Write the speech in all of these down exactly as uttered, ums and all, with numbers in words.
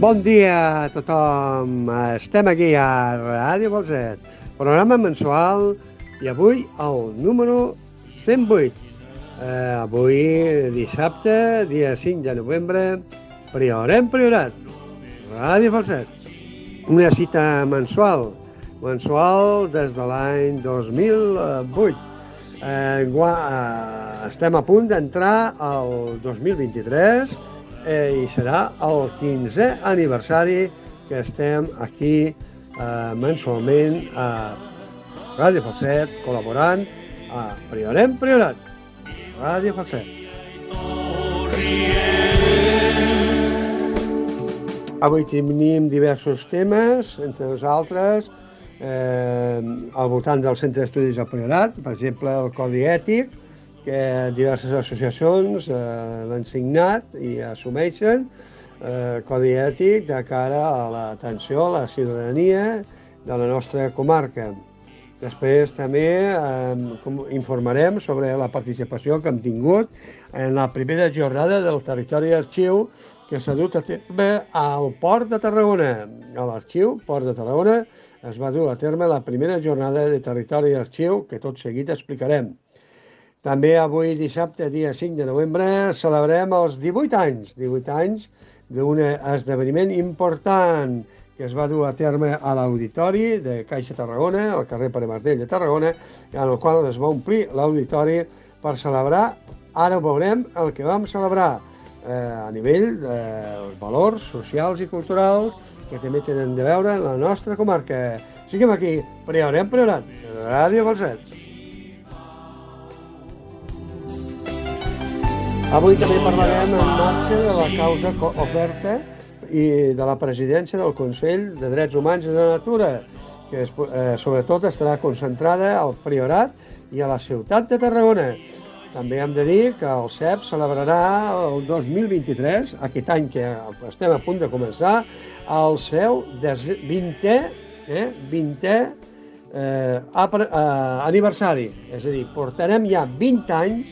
Bon dia a tothom. Estem aquí a Ràdio Falset, programa mensual i avui el número cent vuit. Eh, avui dissabte, dia cinc de novembre, Priorem Priorat, Ràdio Falset. Una cita mensual, mensual des de l'any dos mil vuit. Eh, eh, estem a punt d'entrar al dos mil vint-i-tres eh, i serà el quinzè aniversari que estem aquí eh, mensualment a Ràdio Falset, col·laborant a Priorem Priorat, Ràdio Falset. Avui tenim diversos temes, entre nosaltres, eh, al voltant del Centre d'Estudis del Priorat, per exemple, el Codi Ètic, que diverses associacions eh, l'han signat i assumeixen, eh, Codi Ètic de cara a l'atenció a la ciutadania de la nostra comarca. Després també eh, informarem sobre la participació que hem tingut en la primera jornada del territori d'arxiu que s'ha dut a terme al Port de Tarragona. A l'Arxiu Port de Tarragona es va dur a terme la primera jornada de territori d'arxiu que tot seguit explicarem. També avui dissabte, dia cinc de novembre, celebrem els divuit anys, divuit anys d'un esdeveniment important que es va dur a terme a l'Auditori de Caixa Tarragona, al carrer Pare Martell de Tarragona, en el qual es va omplir l'auditori per celebrar, ara ho veurem, el que vam celebrar eh, a nivell dels eh, valors socials i culturals que també tenen de veure en la nostra comarca. Siguem aquí, Priorem Priorat, Ràdio Falset. Avui també parlarem en marxa de la causa oferta i de la presidència del Consell de Drets Humans i de la Natura, que es, eh, sobretot estarà concentrada al Priorat i a la ciutat de Tarragona. També hem de dir que el C E P celebrarà el dos mil vint-i-tres, aquest any que estem a punt de començar, el seu vintè, eh, vintè eh, aniversari. És a dir, portarem ja vint anys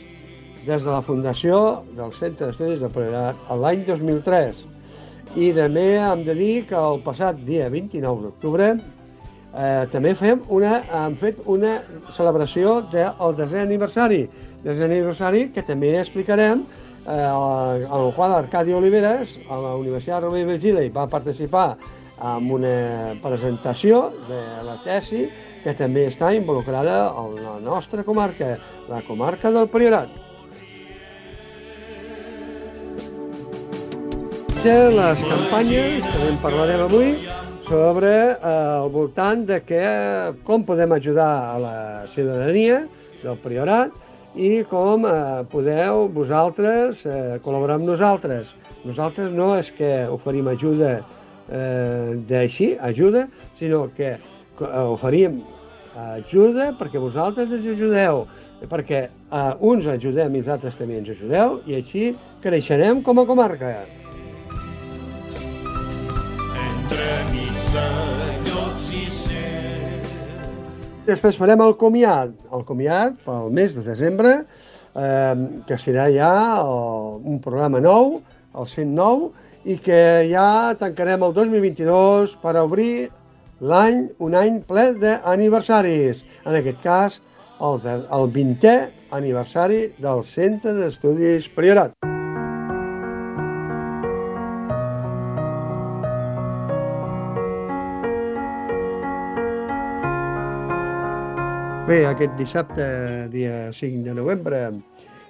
des de la fundació del Centre d'Estudis del Priorat l'any dos mil tres. I també hem de dir que el passat dia vint-i-nou d'octubre eh, també fem una, hem fet una celebració del desè aniversari, desè aniversari que també explicarem, eh, en el qual Arcadi Oliveres, a la Universitat Rovira i Virgili, va participar en una presentació de la tesi que també està involucrada en la nostra comarca, la comarca del Priorat. De les campanyes, també en parlarem avui, sobre eh, el voltant de que, com podem ajudar a la ciutadania del Priorat i com eh, podeu vosaltres eh, col·laborar amb nosaltres. Nosaltres no és que oferim ajuda eh, d'així, ajuda, sinó que oferim ajuda perquè vosaltres ens ajudeu, perquè eh, uns ajudem i els altres també ens ajudeu i així creixerem com a comarca. Després farem el comiat, el comiat pel mes de desembre, eh, que serà ja el, un programa nou, el cent nou, i que ja tancarem el dos mil vint-i-dos per obrir l'any, un any ple d'aniversaris. En aquest cas, el, de, el vintè aniversari del Centre d'Estudis Priorat. Bé, aquest dissabte, dia cinc de novembre,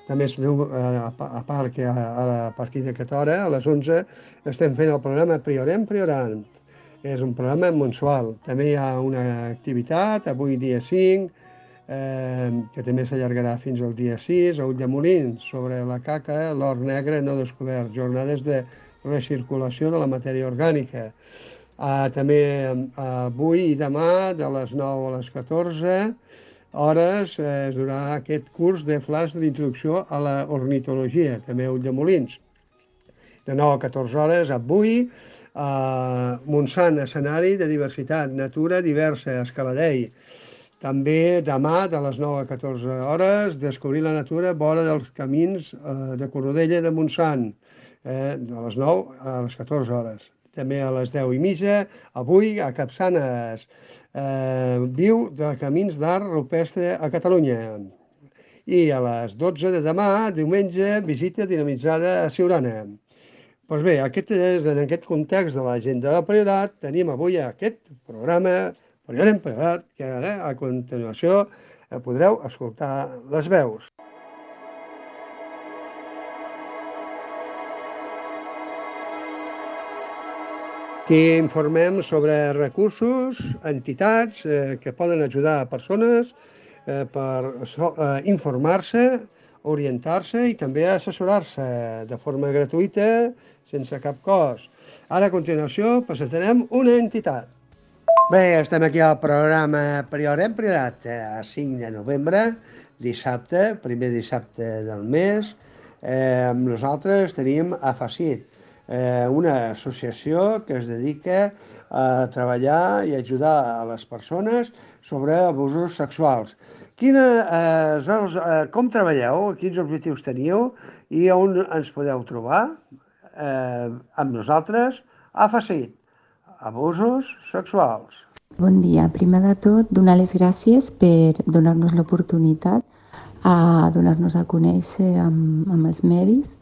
també a part que a partir d'aquesta hora, a les onze, estem fent el programa Priorem Priorant. És un programa mensual. També hi ha una activitat, avui dia cinc, eh, que també s'allargarà fins al dia sis, a Ulldemolins, sobre la caca, l'or negre no descobert, jornades de recirculació de la matèria orgànica. Eh, també avui i demà, de les nou a les catorze, hores es durà aquest curs de flash d'introducció a la ornitologia, també a Ulldemolins. De nou a catorze hores, avui, a Montsant, escenari de diversitat, natura diversa, Escaladei. També demà, de les nou a catorze hores, descobrir la natura vora dels camins de Cornudella de Montsant, eh, de les nou a les catorze hores. també a les deu i mitja, avui a Capçanes, eh, viu de Camins d'Art Rupestre a Catalunya. I a les dotze de demà, diumenge, visita dinamitzada a Siurana. Doncs bé, aquest és, en aquest context de l'agenda del Priorat, tenim avui aquest programa Priorat Priorat, que ara, a continuació, podreu escoltar les veus. Aquí informem sobre recursos, entitats eh, que poden ajudar a persones eh, per eh, informar-se, orientar-se i també assessorar-se de forma gratuïta, sense cap cost. Ara, a continuació, presentarem una entitat. Bé, estem aquí al programa Priorem Priorat, a cinc de novembre, dissabte, primer dissabte del mes. Eh, amb nosaltres tenim AFACIT, eh, una associació que es dedica a treballar i ajudar a les persones sobre abusos sexuals. Quina, eh, eh, com treballeu, quins objectius teniu i on ens podeu trobar? Eh, amb nosaltres, AFACIT, abusos sexuals. Bon dia. Primer de tot, donar les gràcies per donar-nos l'oportunitat a donar-nos a conèixer amb, amb els medis.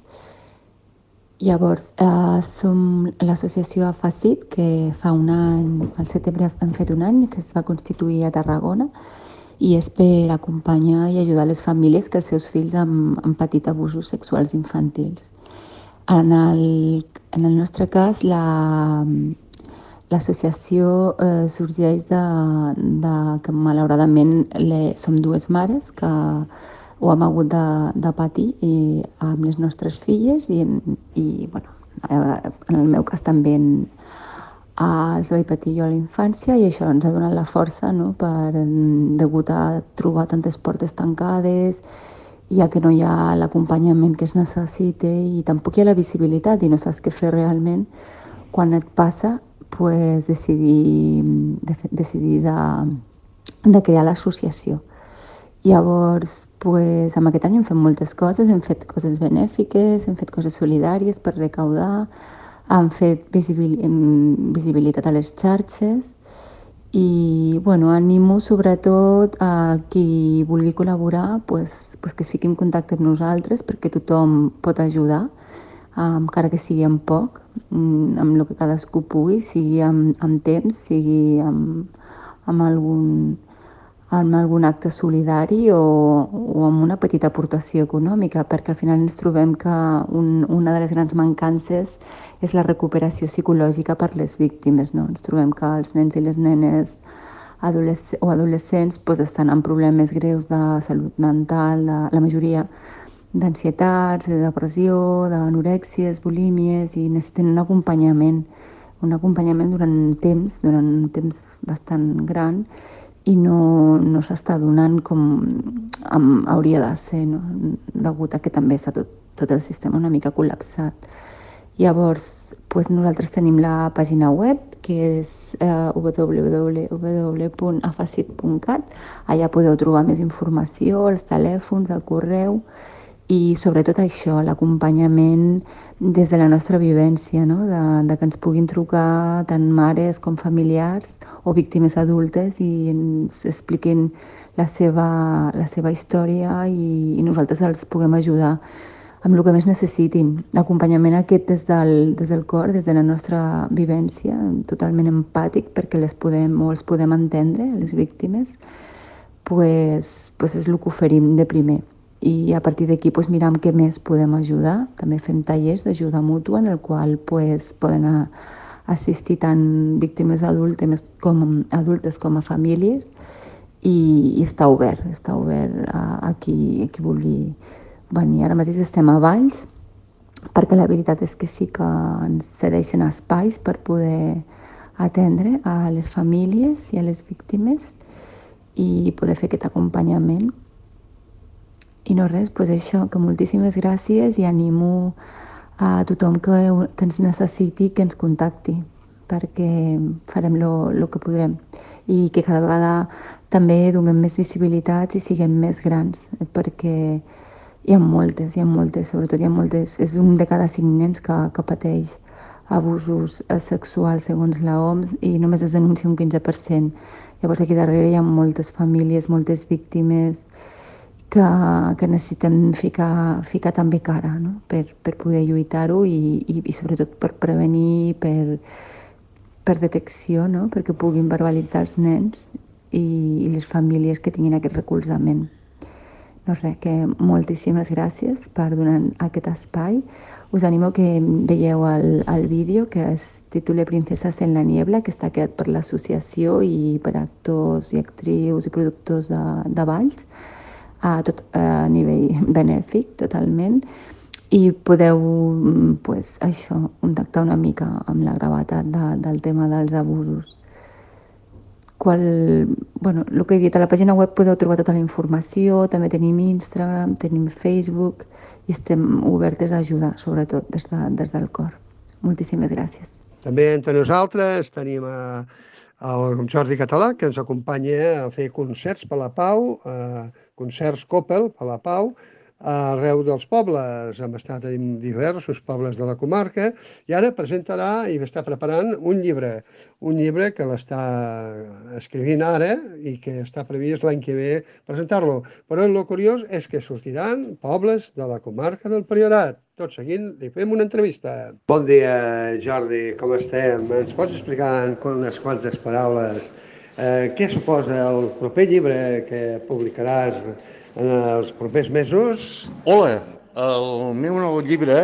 Llavors, eh, som l'associació AFACIT, que fa un any, al setembre hem fet un any, que es va constituir a Tarragona, i és per acompanyar i ajudar les famílies que els seus fills han, han patit abusos sexuals infantils. En el, en el nostre cas, la, l'associació eh, sorgeix de, de que malauradament le, som dues mares que ho hem hagut de, de patir i, amb les nostres filles i, i bueno, en el meu cas també en, els vaig patir jo a la infància i això ens ha donat la força, no? Per, degut a trobar tantes portes tancades, ja que no hi ha l'acompanyament que es necessita i tampoc hi ha la visibilitat i no saps què fer realment, quan et passa, pues, decidir, de, decidir de, de crear l'associació. Llavors, pues, amb aquest any hem fet moltes coses, hem fet coses benèfiques, hem fet coses solidàries per recaudar, hem fet visibil, visibilitat a les xarxes i bueno, animo sobretot a qui vulgui col·laborar pues, pues que es fiqui en contacte amb nosaltres perquè tothom pot ajudar, encara que sigui amb poc, amb el que cadascú pugui, sigui amb, amb temps, sigui amb, amb, algun, amb algun acte solidari o, o amb una petita aportació econòmica, perquè al final ens trobem que un, una de les grans mancances és la recuperació psicològica per les víctimes, no? Ens trobem que els nens i les nenes adolesc o adolescents pues, estan amb problemes greus de salut mental, de, la majoria d'ansietats, de depressió, d'anorèxies, bulímies i necessiten un acompanyament, un acompanyament durant temps, durant un temps bastant gran i no, no s'està donant com amb, hauria de ser, no? Degut a que també està tot, tot el sistema una mica col·lapsat. Llavors, pues nosaltres tenim la pàgina web, que és eh, w w w punt afacit punt cat. Allà podeu trobar més informació, els telèfons, el correu i sobretot això, l'acompanyament des de la nostra vivència, no? de, de que ens puguin trucar tant mares com familiars o víctimes adultes i ens expliquin la seva, la seva història i, i nosaltres els puguem ajudar amb el que més necessitin. L'acompanyament aquest des del, des del cor, des de la nostra vivència, totalment empàtic perquè les podem o els podem entendre, les víctimes, pues, pues és el que oferim de primer. I a partir d'aquí pues, miram què més podem ajudar. També fem tallers d'ajuda mútua en el qual pues, poden a, assistir tant víctimes adultes com, adultes com a famílies i, i està obert, està obert a, a, qui, a qui vulgui venir. Ara mateix estem a Valls perquè la veritat és que sí que ens cedeixen espais per poder atendre a les famílies i a les víctimes i poder fer aquest acompanyament. I no res, doncs això, que moltíssimes gràcies i animo a tothom que, que ens necessiti que ens contacti perquè farem el que podrem i que cada vegada també donem més visibilitats i siguem més grans perquè hi ha moltes, hi ha moltes, sobretot hi ha moltes, és un de cada cinc nens que, que pateix abusos sexuals segons la O M S i només es denuncia un quinze per cent. Llavors aquí darrere hi ha moltes famílies, moltes víctimes que, que necessiten ficar, ficar també cara, no? per, per poder lluitar-ho i, i, i sobretot per prevenir, per, per detecció, no? Perquè puguin verbalitzar els nens i, i les famílies que tinguin aquest recolzament. No res, que moltíssimes gràcies per donar aquest espai. Us animo que veieu el, el vídeo que es titula Princesas en la Niebla, que està creat per l'associació i per actors i actrius i productors de, de balls, a, tot, a nivell benèfic totalment, i podeu pues, això, contactar una mica amb la gravetat de, del tema dels abusos. Qual, bueno, el que he dit, a la pàgina web podeu trobar tota la informació, també tenim Instagram, tenim Facebook i estem obertes a ajudar, sobretot des, de, des del cor. Moltíssimes gràcies. També entre nosaltres tenim a, el Jordi Català, que ens acompanya a fer concerts per la pau, eh, concerts Coppel per la pau, arreu dels pobles. Hem estat en diversos pobles de la comarca i ara presentarà i està preparant un llibre, un llibre que l'està escrivint ara i que està previst l'any que ve presentar-lo. Però el curiós és que sortiran pobles de la comarca del Priorat. Tot seguint li fem una entrevista. Bon dia, Jordi, com estem? Ens pots explicar en unes quantes paraules eh, què suposa el proper llibre que publicaràs en els propers mesos? Hola, el meu nou llibre,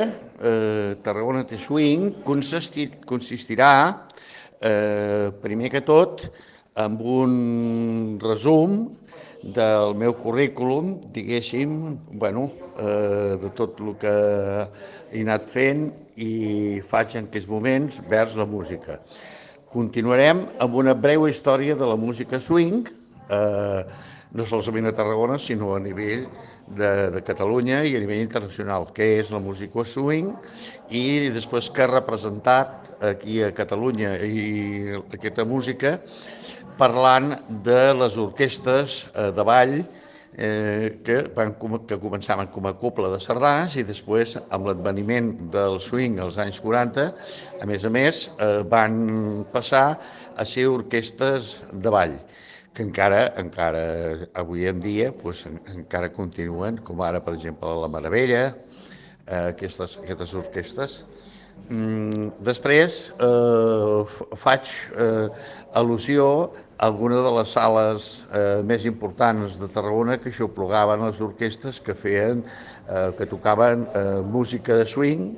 eh, Tarragona té swing, consistir, consistirà, eh, primer que tot, amb un resum del meu currículum, diguéssim, bueno, eh, de tot el que he anat fent i faig en aquests moments vers la música. Continuarem amb una breu història de la música swing, eh, no solament a Tarragona, sinó a nivell de, de Catalunya i a nivell internacional, què és la música swing i després què ha representat aquí a Catalunya i aquesta música, parlant de les orquestres de ball eh, que, van, que començaven com a cobla de sardanes i després, amb l'adveniment del swing als anys quaranta, a més a més, eh, van passar a ser orquestres de ball, que encara, encara avui en dia pues, encara continuen, com ara, per exemple, la Meravella, eh, aquestes, aquestes orquestres. Mm, després eh, faig eh, al·lusió a alguna de les sales eh, més importants de Tarragona que xoplugaven les orquestres que feien, eh, que tocaven eh, música de swing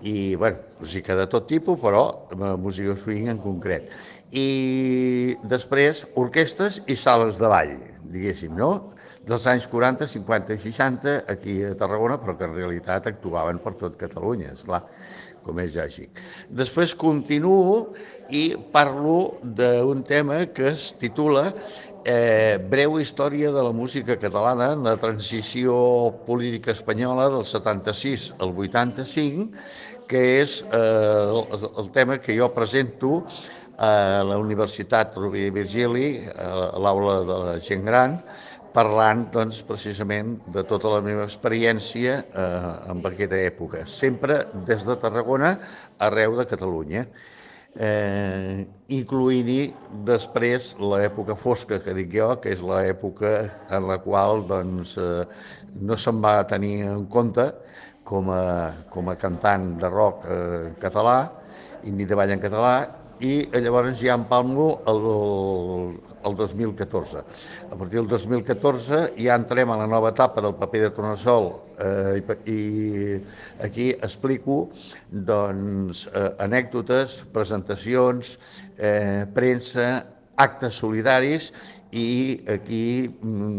i, bueno, música de tot tipus, però eh, música swing en concret. I després orquestres i sales de ball, diguéssim, no? Dels anys quaranta, cinquanta i seixanta aquí a Tarragona, però que en realitat actuaven per tot Catalunya, esclar, com és lògic. Després continuo i parlo d'un tema que es titula eh, Breu història de la música catalana en la transició política espanyola del setanta-sis al vuitanta-cinc, que és eh, el, el tema que jo presento a la Universitat Rovira i Virgili, a l'aula de la gent gran, parlant doncs, precisament de tota la meva experiència eh, en aquesta època, sempre des de Tarragona arreu de Catalunya, eh, incloent-hi després l'època fosca que dic jo, que és l'època en la qual doncs, eh, no se'm va tenir en compte com a, com a cantant de rock eh, català i ni de ball en català, i llavors ja empalmo el, el dos mil catorze. A partir del dos mil catorze ja entrem a la nova etapa del paper de Tornassol eh, i, i aquí explico doncs, eh, anècdotes, presentacions, eh, premsa, actes solidaris i aquí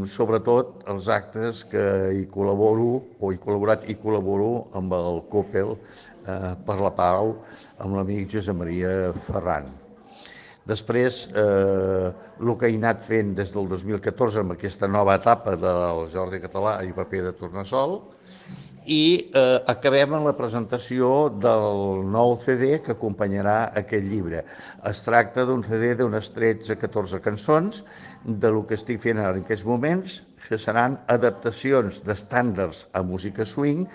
sobretot els actes que hi col·laboro o he col·laborat i col·laboro amb el Coppel eh, per la Pau, amb l'amic Josep Maria Ferran. Després, eh, el que he anat fent des del dos mil catorze amb aquesta nova etapa del Jordi Català i paper de Tornassol, i eh, acabem amb la presentació del nou C D que acompanyarà aquest llibre. Es tracta d'un C D d'unes tretze a catorze cançons de lo que estic fent ara en aquests moments, que seran adaptacions d'estàndards a música swing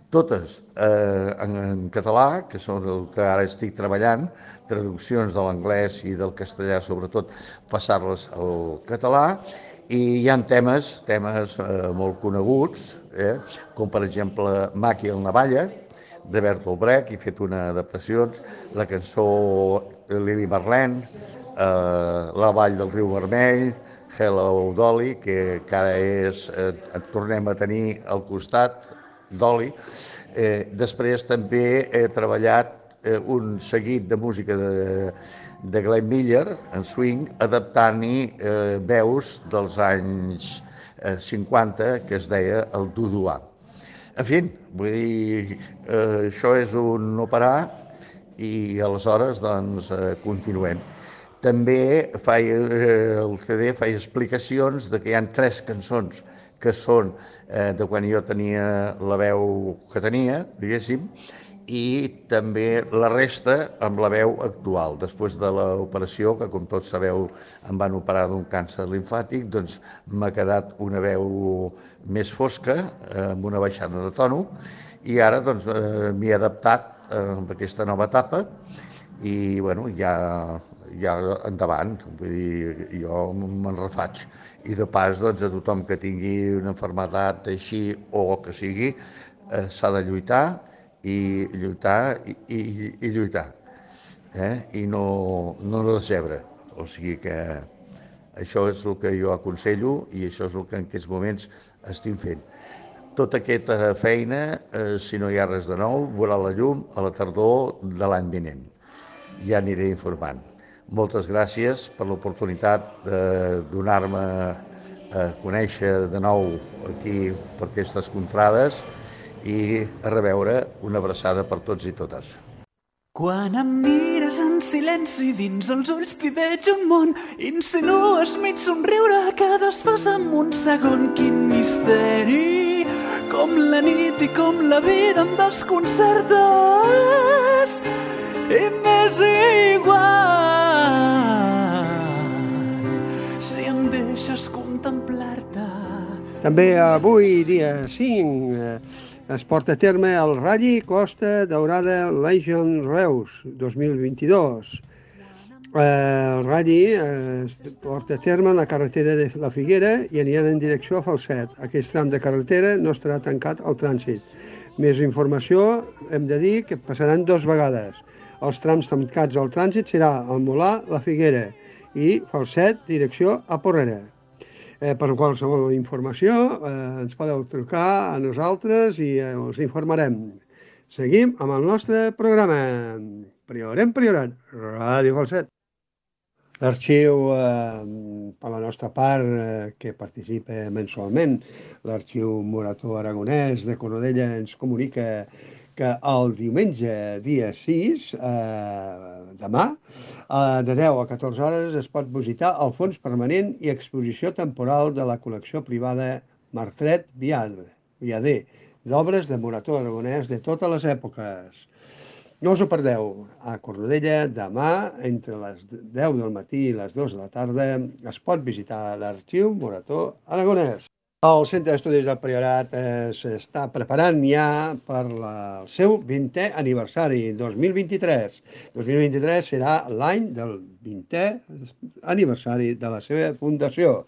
totes eh, en, en català, que són el que ara estic treballant, traduccions de l'anglès i del castellà, sobretot, passar-les al català, i hi ha temes, temes eh, molt coneguts, eh, com per exemple Maki el Navalla, de Bertolt Brecht, he fet una adaptació, la cançó Lili Marlene, eh, La Vall del Riu Vermell, Hello Dolly, que, que ara és, eh, tornem a tenir al costat, Dolly. Eh, després també he treballat eh, un seguit de música de, de Glenn Miller, en swing, adaptant-hi eh, veus dels anys eh, cinquanta, que es deia el Duduà. En fi, vull dir, eh, això és un no parar i aleshores doncs eh, continuem. També faig, eh, el C D faig explicacions de que hi ha tres cançons que són eh, de quan jo tenia la veu que tenia, diguéssim, i també la resta amb la veu actual. Després de l'operació, que com tots sabeu em van operar d'un càncer limfàtic, doncs m'ha quedat una veu més fosca, eh, amb una baixada de tono, i ara doncs eh, m'hi he adaptat eh, amb aquesta nova etapa i bueno, ja, ja endavant, vull dir, jo me'n refaig. I de pas, doncs, a tothom que tingui una malaltia així o que sigui, eh, s'ha de lluitar i lluitar i, i, i lluitar, eh? I no, no decebre. O sigui que això és el que jo aconsello i això és el que en aquests moments estic fent. Tota aquesta feina, eh, si no hi ha res de nou, veurà la llum a la tardor de l'any vinent. Ja aniré informant. Moltes gràcies per l'oportunitat de donar-me a conèixer de nou aquí per aquestes contrades i a reveure una abraçada per tots i totes. Quan em mires en silenci dins els ulls t'hi veig un món, insinues mig somriure que desfas en un segon. Quin misteri, com la nit i com la vida em desconcertes i m'és igual si em deixes contemplar-te. També avui, dia cinc, es porta a terme el Rally Costa Daurada Legion Reus dos mil vint-i-dos. El Rally es porta a terme en la carretera de la Figuera i aniran en direcció a Falset. Aquest tram de carretera no estarà tancat al trànsit. Més informació, hem de dir que passaran dues vegades. Els trams tancats al trànsit serà el Molar, la Figuera i Falset, direcció a Porrera. Eh, per qualsevol informació eh, ens podeu trucar a nosaltres i eh, us informarem. Seguim amb el nostre programa. Priorem, priorat, Ràdio Falset. L'arxiu, eh, per la nostra part, eh, que participa mensualment, l'arxiu Morató Aragonès de Cornudella ens comunica que el diumenge, dia sis, eh, demà, eh, de deu a catorze hores, es pot visitar el fons permanent i exposició temporal de la col·lecció privada Martret Viader, d'obres de Morató Aragonès de totes les èpoques. No us ho perdeu. A Cornudella, demà, entre les deu del matí i les dues de la tarda, es pot visitar l'arxiu Morató Aragonès. El Centre d'Estudis del Priorat s'està preparant ja per la, el seu vintè aniversari, dos mil vint-i-tres. dos mil vint-i-tres serà l'any del vintè aniversari de la seva fundació.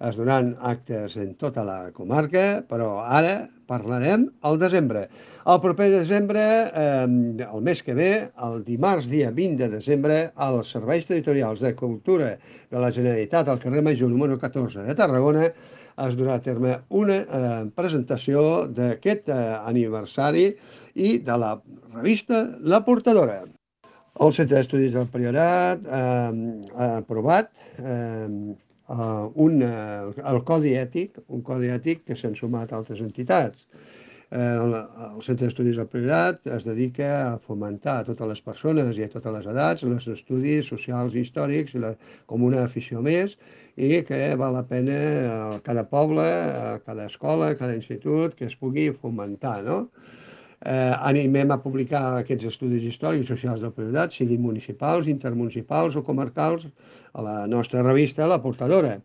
Es donaran actes en tota la comarca, però ara parlarem al desembre. El proper desembre, eh, el mes que ve, el dimarts dia vint de desembre, als Serveis Territorials de Cultura de la Generalitat al carrer Major número catorze de Tarragona, es durà a terme una eh, presentació d'aquest eh, aniversari i de la revista La Portadora. El Centre d'Estudis del Priorat eh, ha aprovat eh, un, eh, el Codi Ètic, un Codi Ètic que s'han sumat altres entitats. El, el Centre d'Estudis del Priorat es dedica a fomentar a totes les persones i a totes les edats els estudis socials i històrics la, com una afició més i que val la pena a cada poble, a cada escola, a cada institut que es pugui fomentar, no? Eh, animem a publicar aquests estudis històrics i socials del Priorat, siguin municipals, intermunicipals o comarcals, a la nostra revista La Portadora.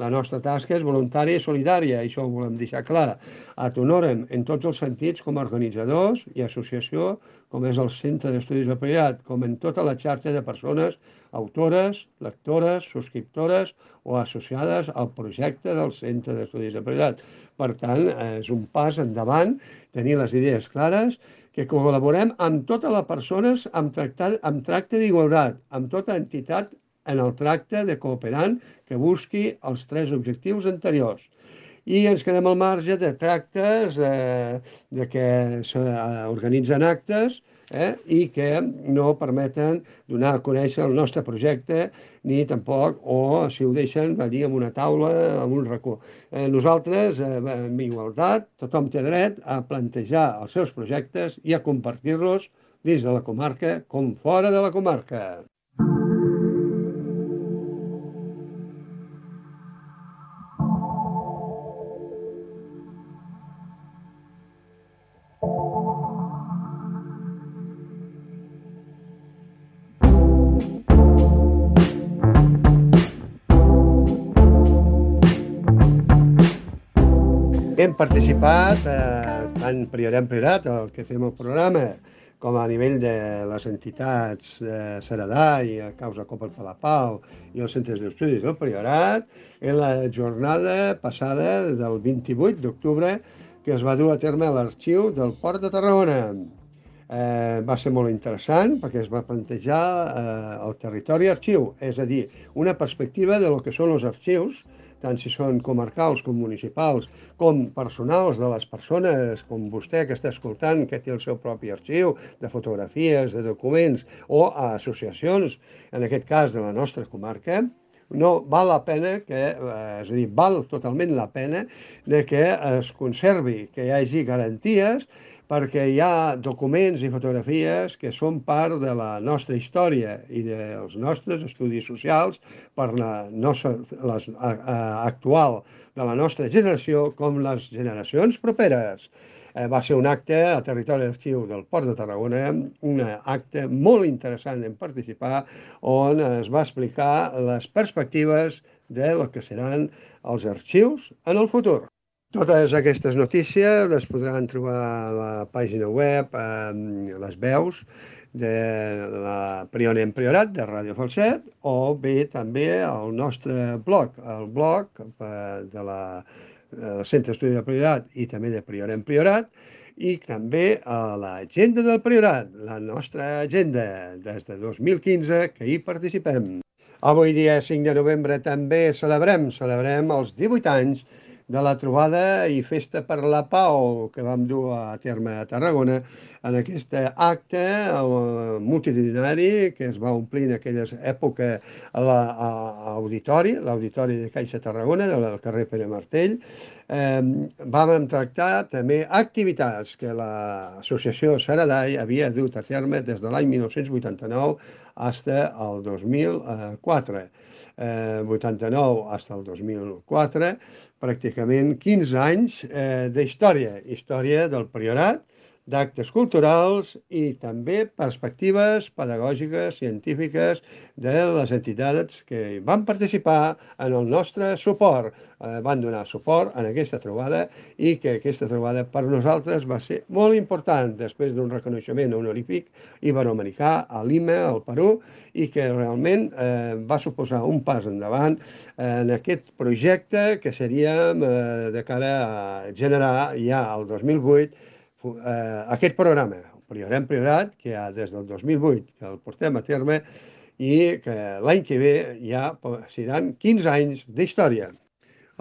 La nostra tasca és voluntària i solidària, i això ho volem deixar clar. Et honorem en tots els sentits com a organitzadors i associació, com és el Centre d'Estudis del Priorat, com en tota la xarxa de persones autores, lectores, subscriptores o associades al projecte del Centre d'Estudis del Priorat. Per tant, és un pas endavant tenir les idees clares, que col·laborem amb totes les persones amb, tractat, amb tracte d'igualtat, amb tota entitat en el tracte de cooperant que busqui els tres objectius anteriors. I ens quedem al marge de tractes, eh, de que s'organitzen actes eh, i que no permeten donar a conèixer el nostre projecte, ni tampoc, o si ho deixen, va dir, en una taula, en un racó. Eh, nosaltres, eh, amb igualtat, tothom té dret a plantejar els seus projectes i a compartir-los dins de la comarca com fora de la comarca. Hem participat, eh, tant Priorem Priorat, el que fem el programa, com a nivell de les entitats de Ceredà i a Causa Copa per la Pau i els centres d'estudis del Priorat, en la jornada passada del vint-i-vuit d'octubre que es va dur a terme a l'arxiu del Port de Tarragona. Eh, va ser molt interessant perquè es va plantejar eh, el territori arxiu, és a dir, una perspectiva de lo que són els arxius, tant si són comarcals com municipals, com personals de les persones, com vostè que està escoltant, que té el seu propi arxiu de fotografies, de documents, o a associacions, en aquest cas de la nostra comarca, no val la pena que, eh, és a dir, val totalment la pena de que es conservi, que hi hagi garanties, perquè hi ha documents i fotografies que són part de la nostra història i dels nostres estudis socials per la nostra, les, a, a, actual de la nostra generació com les generacions properes. Eh, va ser un acte a territori d'arxiu del Port de Tarragona, un acte molt interessant en participar, on es va explicar les perspectives de lo que seran els arxius en el futur. Totes aquestes notícies les podran trobar a la pàgina web, eh, les veus de la Priorem Priorat, de Ràdio Falset, o bé també al nostre blog, el blog de la del Centre d'Estudis del Priorat i també de Priorem Priorat, i també a l'agenda del Priorat, la nostra agenda des de dos mil quinze, que hi participem. Avui dia cinc de novembre també celebrem, celebrem els divuit anys de la trobada i festa per la pau que vam dur a terme a Tarragona en aquest acte multitudinari que es va omplir en aquella època a l'auditori, l'auditori de Caixa Tarragona, del carrer Pere Martell. Eh, vam tractar també activitats que l'associació Ceredai havia dut a terme des de l'any mil nou-cents vuitanta-nou fins al dos mil quatre. Eh, vuitanta-nou fins al dos mil quatre, pràcticament quinze anys eh, d'història, història del Priorat, d'actes culturals i també perspectives pedagògiques, científiques de les entitats que van participar en el nostre suport. Eh, van donar suport en aquesta trobada i que aquesta trobada per nosaltres va ser molt important després d'un reconeixement honorífic iberoamericà a Lima, al Perú, i que realment eh, va suposar un pas endavant en aquest projecte que seríem eh, de cara a generar ja el dos mil vuit Uh, aquest programa, Priorem Priorat, que ja des del dos mil vuit que el portem a terme i que l'any que ve ja seran quinze anys d'història.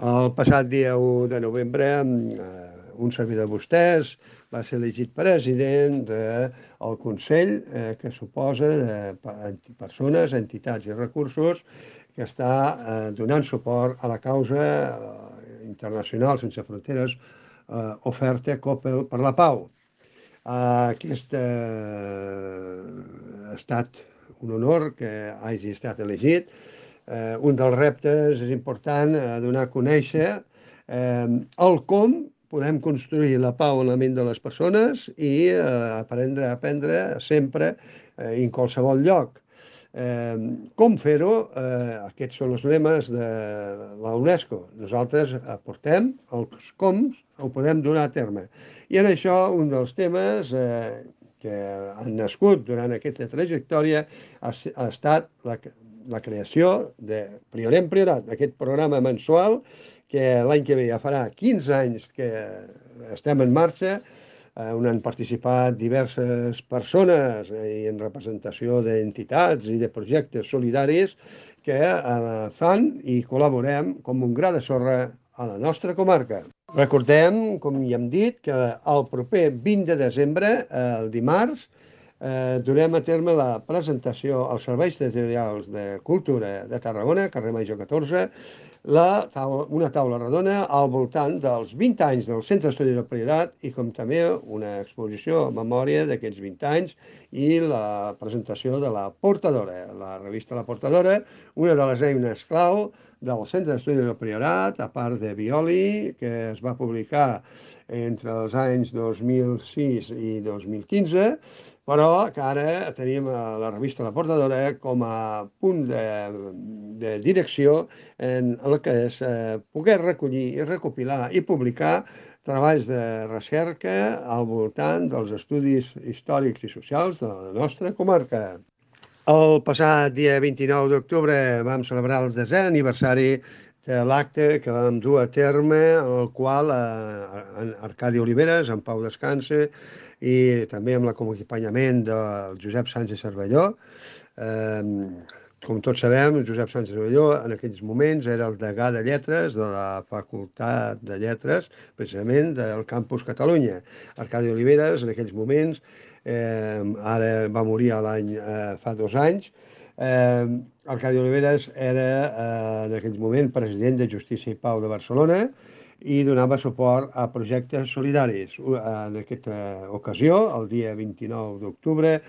El passat dia u de novembre, uh, un servidor de vostès va ser elegit president del Consell eh, que suposa de persones, entitats i recursos que està eh, donant suport a la causa eh, internacional sense fronteres Uh, oferta Coppel per la Pau. Uh, aquest uh, ha estat un honor que hagi estat elegit. Uh, un dels reptes és important uh, donar a conèixer uh, el com podem construir la pau en la ment de les persones i uh, aprendre a aprendre sempre uh, en qualsevol lloc. Eh, com fer-ho? Eh, aquests són els lemes de la UNESCO. Nosaltres aportem els coms, ho podem donar a terme. I en això, un dels temes eh, que han nascut durant aquesta trajectòria ha, ha estat la, la creació de Priorem Priorat, aquest programa mensual que l'any que ve ja farà quinze anys que estem en marxa, on han participat diverses persones i en representació d'entitats i de projectes solidaris que fan i col·laborem com un gra de sorra a la nostra comarca. Recordem, com ja hem dit, que el proper vint de desembre, el dimarts, eh, durem a terme la presentació als Serveis Territorials de Cultura de Tarragona, carrer Major catorze, la taula, una taula redona al voltant dels vint anys del Centre d'Estudis del Priorat i com també una exposició a memòria d'aquests vint anys i la presentació de la Portadora, la revista La Portadora, una de les eines clau del Centre d'Estudis del Priorat, a part de Violi, que es va publicar entre els anys dos mil sis i dos mil quinze, però que ara tenim la revista La Portadora com a punt de, de direcció en el que és eh, poder recollir i recopilar i publicar treballs de recerca al voltant dels estudis històrics i socials de la nostra comarca. El passat dia vint-i-nou d'octubre vam celebrar el desè aniversari de l'acte que vam dur a terme, el qual eh, Arcadi Oliveres, en Pau Descanse, i també amb l'acompanyament del Josep Sánchez Cervelló. Eh, com tots sabem, Josep Sánchez Cervelló en aquells moments era el degà de lletres de la Facultat de Lletres, precisament del Campus Catalunya. Arcadi Oliveres en aquells moments, eh, ara va morir l'any eh, fa dos anys, eh, Arcadi Oliveres era eh, en aquell moment president de Justícia i Pau de Barcelona, i donava suport a projectes solidaris. En aquesta ocasió, el dia vint-i-nou d'octubre,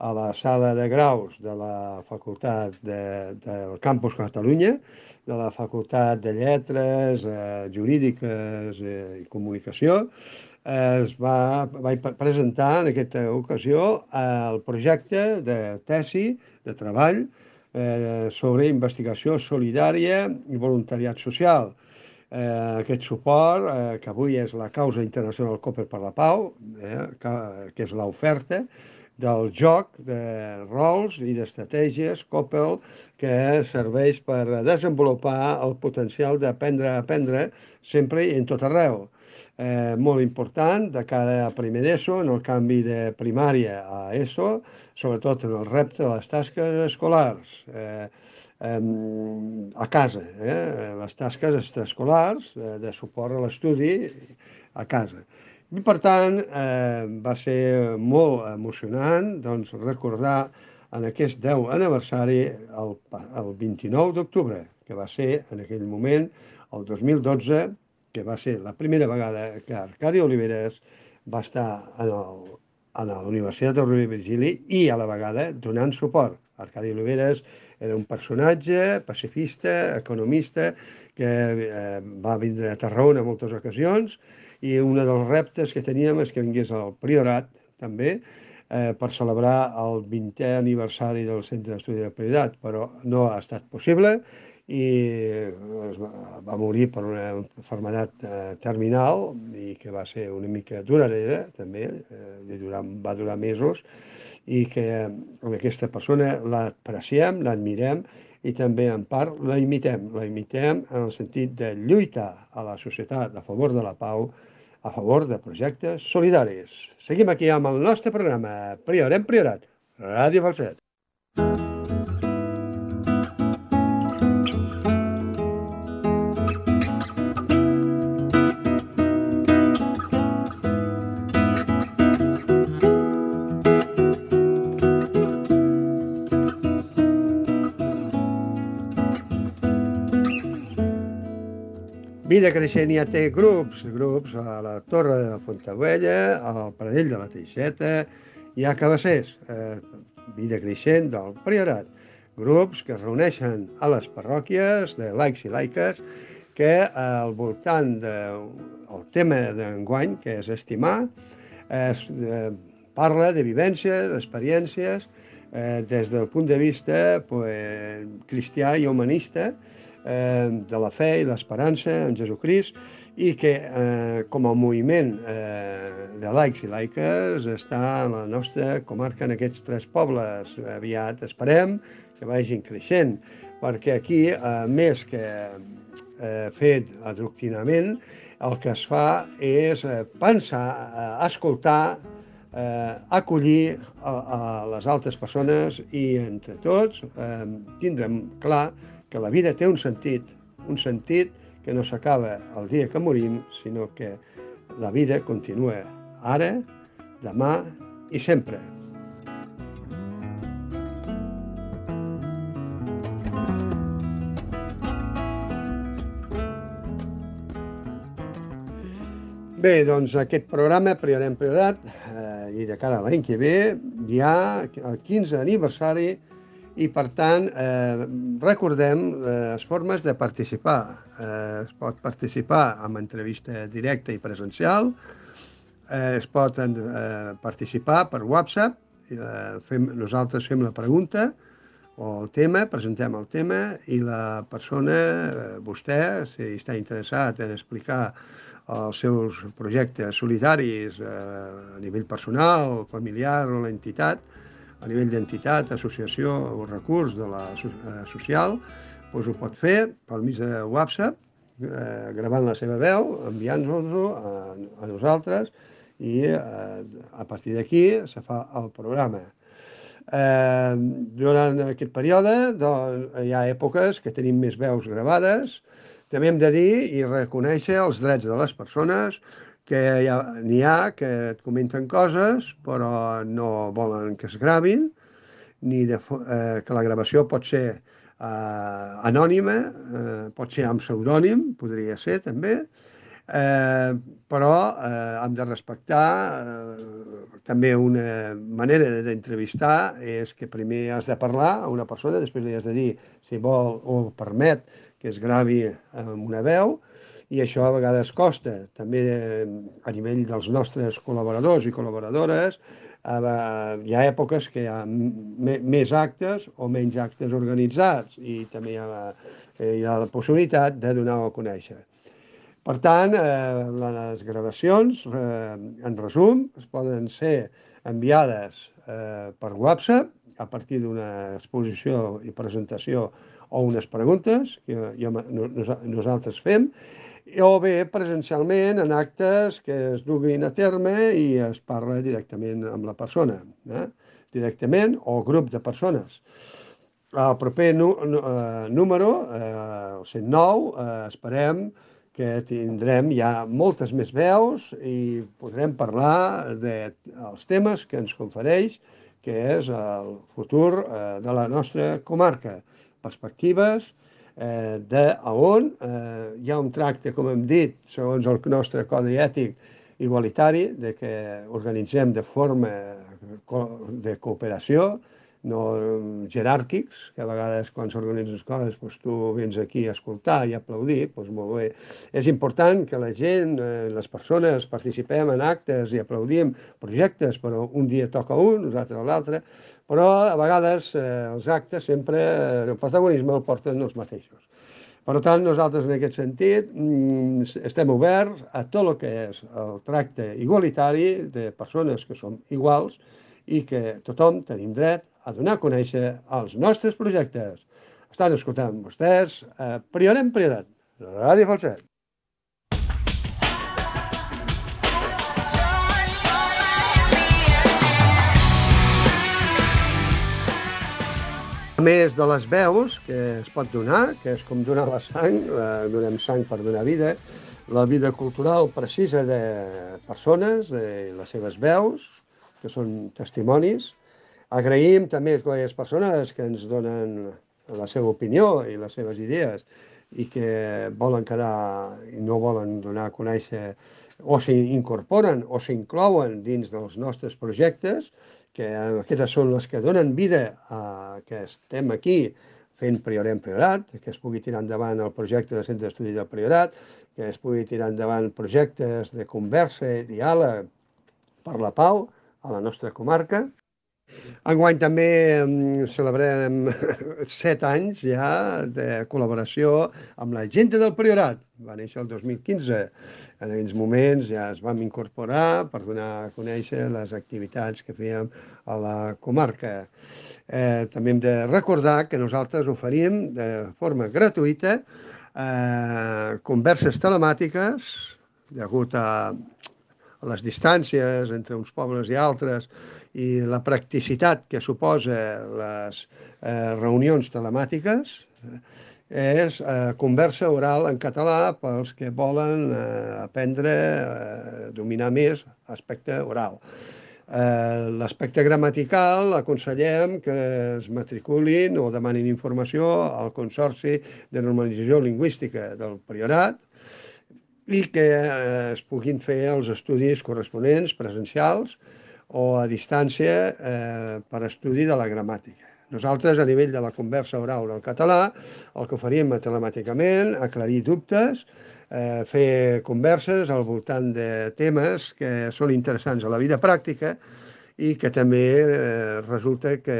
a la sala de graus de la Facultat de, del Campus Catalunya, de la Facultat de Lletres, eh, Jurídiques eh, i Comunicació, eh, es va, va presentar en aquesta ocasió el projecte de tesi, de treball, eh, sobre investigació solidària i voluntariat social. Eh, aquest suport, eh, que avui és la causa internacional Cooper per la Pau, eh, que, que és l'oferta del joc de rols i d'estratègies Coppel que serveix per desenvolupar el potencial d'aprendre a aprendre sempre i en tot arreu. Eh, molt important de cara a primer d'ESO, en el canvi de primària a ESO, sobretot en el repte de les tasques escolars. Eh, a casa, eh? les tasques extraescolars eh, de suport a l'estudi a casa. I per tant, eh, va ser molt emocionant doncs, recordar en aquest deu aniversari el, el vint-i-nou d'octubre, que va ser en aquell moment, el dos mil dotze, que va ser la primera vegada que Arcadi Oliveres va estar en, el, en la Universitat de Rovira i Virgili i a la vegada donant suport. Arcadi Oliveres era un personatge pacifista, economista, que eh, va vindre a Tarragona en moltes ocasions i un dels reptes que teníem és que vingués al Priorat, també, eh, per celebrar el vintè aniversari del Centre d'Estudi del Priorat, però no ha estat possible i es va, va morir per una malaltia eh, terminal i que va ser una mica duradora, també, eh, durar, va durar mesos, i que amb aquesta persona l'apreciem, l'admirem i també en part la imitem. La imitem en el sentit de lluitar a la societat a favor de la pau, a favor de projectes solidaris. Seguim aquí amb el nostre programa Priorem Priorat, Ràdio Falset. Vida Creixent ja té grups, grups a la Torre de la Fontaubella, al Pradell de la Teixeta i a Cabassers. Eh, Vida Creixent del Priorat. Grups que es reuneixen a les parròquies de laics i laiques que al voltant del tema d'enguany, que és estimar, es eh, parla de vivències, d'experiències eh, des del punt de vista pues, cristià i humanista, eh, de la fe i l'esperança en Jesucrist, i que eh, com a moviment eh, de laics i laiques està en la nostra comarca, en aquests tres pobles. Aviat esperem que vagin creixent, perquè aquí, eh, més que eh, fet adoctrinament, el que es fa és eh, pensar, eh, escoltar, eh, acollir a, a les altres persones i entre tots eh, tindrem clar que la vida té un sentit, un sentit que no s'acaba el dia que morim, sinó que la vida continua ara, demà i sempre. Bé, doncs aquest programa, Priorem Priorat, eh, i de cara a l'any que ve, hi ha el quinze aniversari i, per tant, eh, recordem les formes de participar. Eh, es pot participar amb entrevista directa i presencial, eh, es pot eh, participar per WhatsApp, eh, fem, nosaltres fem la pregunta o el tema, presentem el tema i la persona, eh, vostè, si està interessat en explicar els seus projectes solidaris eh, a nivell personal, familiar o l'entitat, a nivell d'entitat, associació o recurs de la eh, social, doncs ho pot fer pel mig de WhatsApp, eh, gravant la seva veu, enviant-nos-ho a, a nosaltres i eh, a partir d'aquí se fa el programa. Eh, durant aquest període doncs, hi ha èpoques que tenim més veus gravades. També hem de dir i reconèixer els drets de les persones, que n'hi ha que et comenten coses però no volen que es gravin, ni de, eh, que la gravació pot ser eh, anònima, eh, pot ser amb pseudònim, podria ser també, eh, però eh, hem de respectar eh, també una manera d'entrevistar és que primer has de parlar a una persona, després li has de dir si vol o permet que es gravi amb una veu, i això a vegades costa. També a nivell dels nostres col·laboradors i col·laboradores hi ha èpoques que hi ha més actes o menys actes organitzats i també hi ha, hi ha la possibilitat de donar-ho a conèixer. Per tant, eh, les gravacions, eh, en resum, es poden ser enviades eh, per WhatsApp a partir d'una exposició i presentació o unes preguntes que jo, nosaltres fem, o bé presencialment en actes que es duguin a terme i es parla directament amb la persona, eh? directament o grup de persones. El proper nu, uh, número, uh, el cent nou, uh, esperem que tindrem ja moltes més veus i podrem parlar dels temes que ens confereix, que és el futur uh, de la nostra comarca, perspectives, Eh, de a on eh, hi ha un tracte, com hem dit, segons el nostre codi ètic igualitari, de que organitzem de forma de cooperació, no jeràrquics, que a vegades quan s'organitzen les coses doncs tu vens aquí a escoltar i a aplaudir, doncs molt bé. És important que la gent, eh, les persones, participem en actes i aplaudim projectes, però un dia toca un, nosaltres l'altre, però a vegades eh, els actes sempre, eh, el protagonisme el porten els mateixos. Per tant, nosaltres en aquest sentit estem oberts a tot el que és el tracte igualitari de persones que som iguals i que tothom tenim dret a donar a conèixer els nostres projectes. Estan escoltant vostès a Priorem Priorat, Ràdio Falset. A més de les veus que es pot donar, que és com donar la sang, eh, donem sang per donar vida, la vida cultural precisa de persones, de les seves veus, que són testimonis. Agraïm també a aquelles persones que ens donen la seva opinió i les seves idees i que volen quedar i no volen donar a conèixer o s'incorporen o s'inclouen dins dels nostres projectes, que aquestes són les que donen vida a que estem aquí fent Priorem Priorat, que es pugui tirar endavant el projecte de Centre d'Estudis del Priorat, que es pugui tirar endavant projectes de conversa i diàleg per la pau a la nostra comarca. Enguany també mm, celebrem set anys ja de col·laboració amb la gent del Priorat. Va néixer el dos mil quinze. En aquells moments ja es vam incorporar per donar a conèixer les activitats que fèiem a la comarca. Eh, també hem de recordar que nosaltres oferim de forma gratuïta eh, converses telemàtiques degut a a les distàncies entre uns pobles i altres i la practicitat que suposa les eh, reunions telemàtiques, és eh, conversa oral en català pels que volen eh, aprendre a eh, dominar més l'aspecte oral. Eh, L'aspecte gramatical aconsellem que es matriculin o demanin informació al Consorci de Normalització Lingüística del Priorat, i que eh, es puguin fer els estudis corresponents, presencials o a distància eh, per estudi de la gramàtica. Nosaltres, a nivell de la conversa oral del català, el que faríem telemàticament, aclarir dubtes, eh, fer converses al voltant de temes que són interessants a la vida pràctica i que també eh, resulta que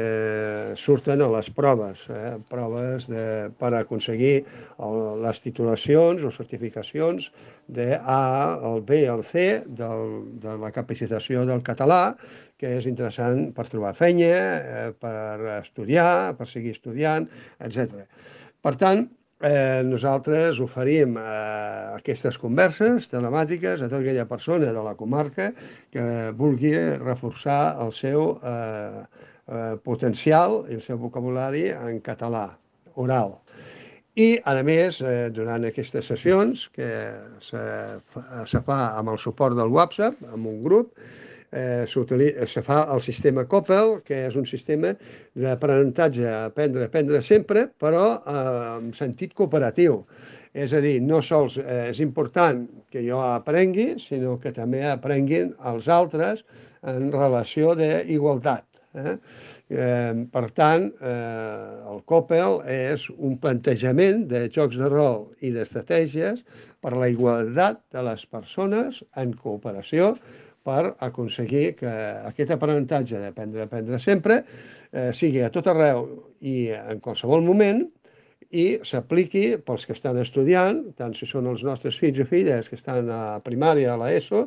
surten a les proves, eh, proves de, per aconseguir el, les titulacions o certificacions de A, el B i el C del, de la capacitació del català, que és interessant per trobar feina, eh, per estudiar, per seguir estudiant, etcètera. Per tant, Eh, nosaltres oferim eh, aquestes converses telemàtiques a tota aquella persona de la comarca que vulgui reforçar el seu eh, eh, potencial i el seu vocabulari en català oral. I, a més, eh, durant aquestes sessions, que se, se fa amb el suport del WhatsApp, amb un grup, Eh, se fa el sistema Coppel, que és un sistema d'aprenentatge, aprendre, aprendre sempre, però eh, en sentit cooperatiu. És a dir, no sols eh, és important que jo aprengui, sinó que també aprenguin els altres en relació d'igualtat. Eh? Eh, per tant, eh, el Coppel és un plantejament de jocs de rol i d'estratègies per la igualtat de les persones en cooperació per aconseguir que aquest aprenentatge d'aprendre a aprendre sempre eh, sigui a tot arreu i en qualsevol moment i s'apliqui pels que estan estudiant, tant si són els nostres fills o filles que estan a primària, a l'ESO,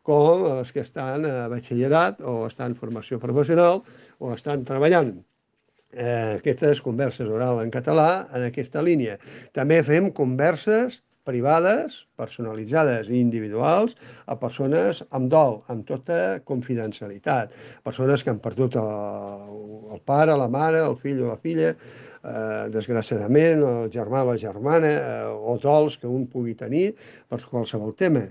com els que estan a batxillerat o estan en formació professional o estan treballant. Eh, aquestes converses oral en català en aquesta línia. També fem converses privades, personalitzades i individuals a persones amb dol, amb tota confidencialitat. Persones que han perdut el, el pare, la mare, el fill o la filla, eh, desgraciadament, el germà o la germana, eh, o dols que un pugui tenir per qualsevol tema.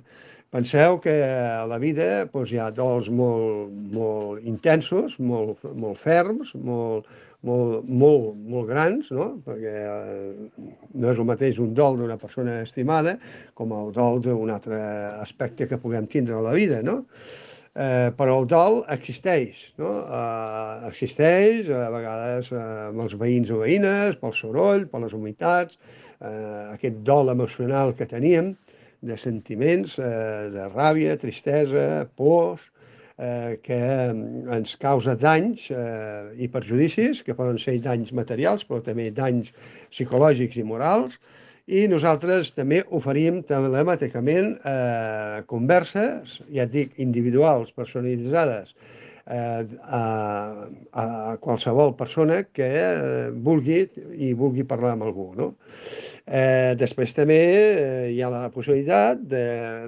Penseu que a la vida doncs, hi ha dols molt, molt intensos, molt, molt ferms, molt, molt, molt, molt grans, no? Perquè eh, no és el mateix un dol d'una persona estimada com el dol d'un altre aspecte que puguem tindre a la vida, no? Eh, però el dol existeix, no? Eh, existeix a vegades eh, amb els veïns o veïnes, pel soroll, per les humitats, eh, aquest dol emocional que teníem, de sentiments, eh, de ràbia, tristesa, pors, eh, que ens causa danys eh, i perjudicis, que poden ser danys materials, però també danys psicològics i morals, i nosaltres també oferim telemàticament eh, converses, ja et dic, individuals, personalitzades, eh, a, a qualsevol persona que eh, vulgui i vulgui parlar amb algú, no? Eh, després també eh, hi ha la possibilitat de,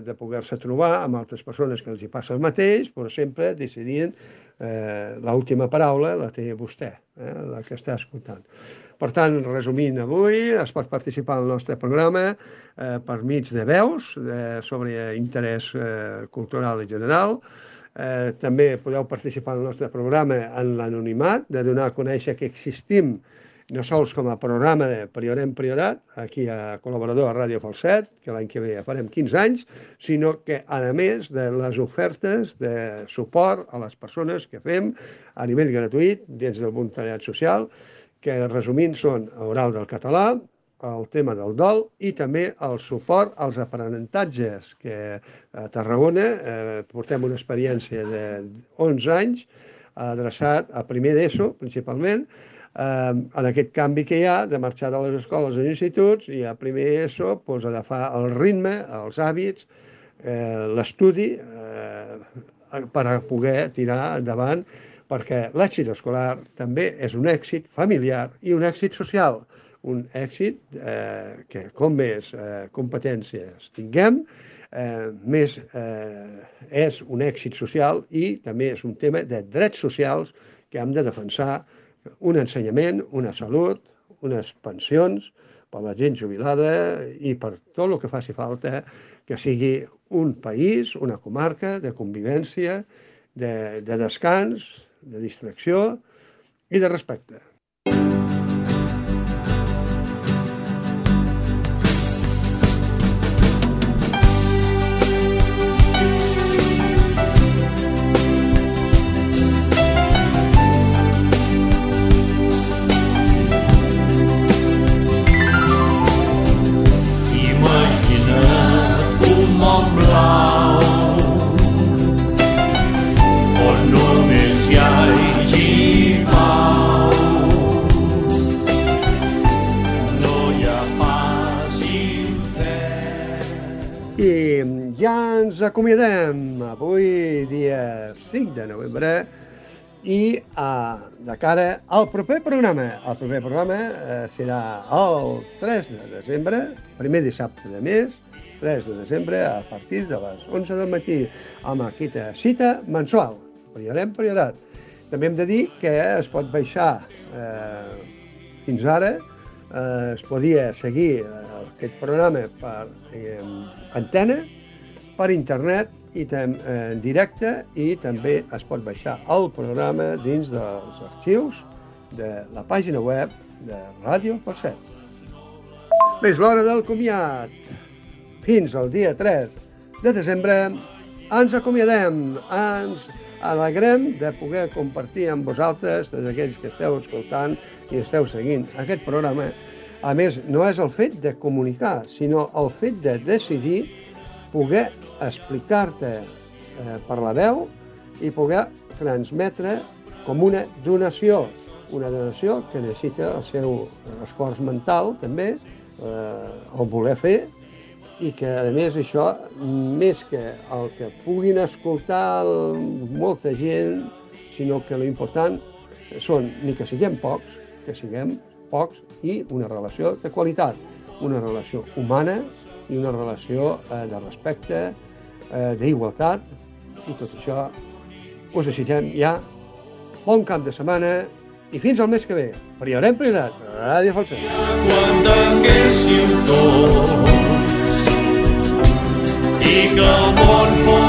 de poder-se trobar amb altres persones que els hi passa el mateix, però sempre decidint eh, l'última paraula la té vostè, eh, la que està escoltant. Per tant, resumint avui, es pot participar al nostre programa eh, per mig de veus eh, sobre interès eh, cultural i general. Eh, també podeu participar al nostre programa en l'anonimat, de donar a conèixer que existim no sols com a programa de Priorem Priorat, aquí a col·laborador a Ràdio Falset, que l'any que ve ja farem quinze anys, sinó que, a més de les ofertes de suport a les persones que fem a nivell gratuït dins del voluntariat social, que resumint són oral del català, el tema del dol i també el suport als aprenentatges, que a Tarragona eh, portem una experiència d'onze anys adreçat a primer d'ESO, principalment, eh, en aquest canvi que hi ha de marxar de les escoles als instituts i a primer d'ESO pues, agafar el ritme, els hàbits, eh, l'estudi eh, per a poder tirar endavant, perquè l'èxit escolar també és un èxit familiar i un èxit social, un èxit eh, que com més eh, competències tinguem, eh, més eh, és un èxit social i també és un tema de drets socials que hem de defensar, un ensenyament, una salut, unes pensions per la gent jubilada i per tot el que faci falta que sigui un país, una comarca de convivència, de, de descans, de distracció i de respecte. Ens acomiadem avui, dia cinc de novembre, i uh, de cara al proper programa. El proper programa uh, serà el tres de desembre, primer dissabte de mes, tres de desembre, a partir de les onze del matí, amb aquesta cita mensual. Priorem priorat. També hem de dir que es pot baixar eh, fins ara, eh, es podia seguir eh, aquest programa per eh, antena, per internet i en directe, i també es pot baixar el programa dins dels arxius de la pàgina web de Ràdio Falset. Bé, és l'hora del comiat. Fins al dia tres de desembre ens acomiadem, ens alegrem de poder compartir amb vosaltres, tots aquells que esteu escoltant i esteu seguint aquest programa. A més, no és el fet de comunicar, sinó el fet de decidir poder explicar-te eh, per la veu i poder transmetre com una donació, una donació que necessita el seu esforç mental també, eh, el voler fer, i que a més això, més que el que puguin escoltar molta gent, sinó que l'important són ni que siguem pocs, que siguem pocs i una relació de qualitat, una relació humana i una relació eh, de respecte, eh, d'igualtat, i tot això us desitgem ja bon cap de setmana i fins al mes que ve. Priorem priorat, Ràdio Falset. Quan tinguéssim tots i que el món fos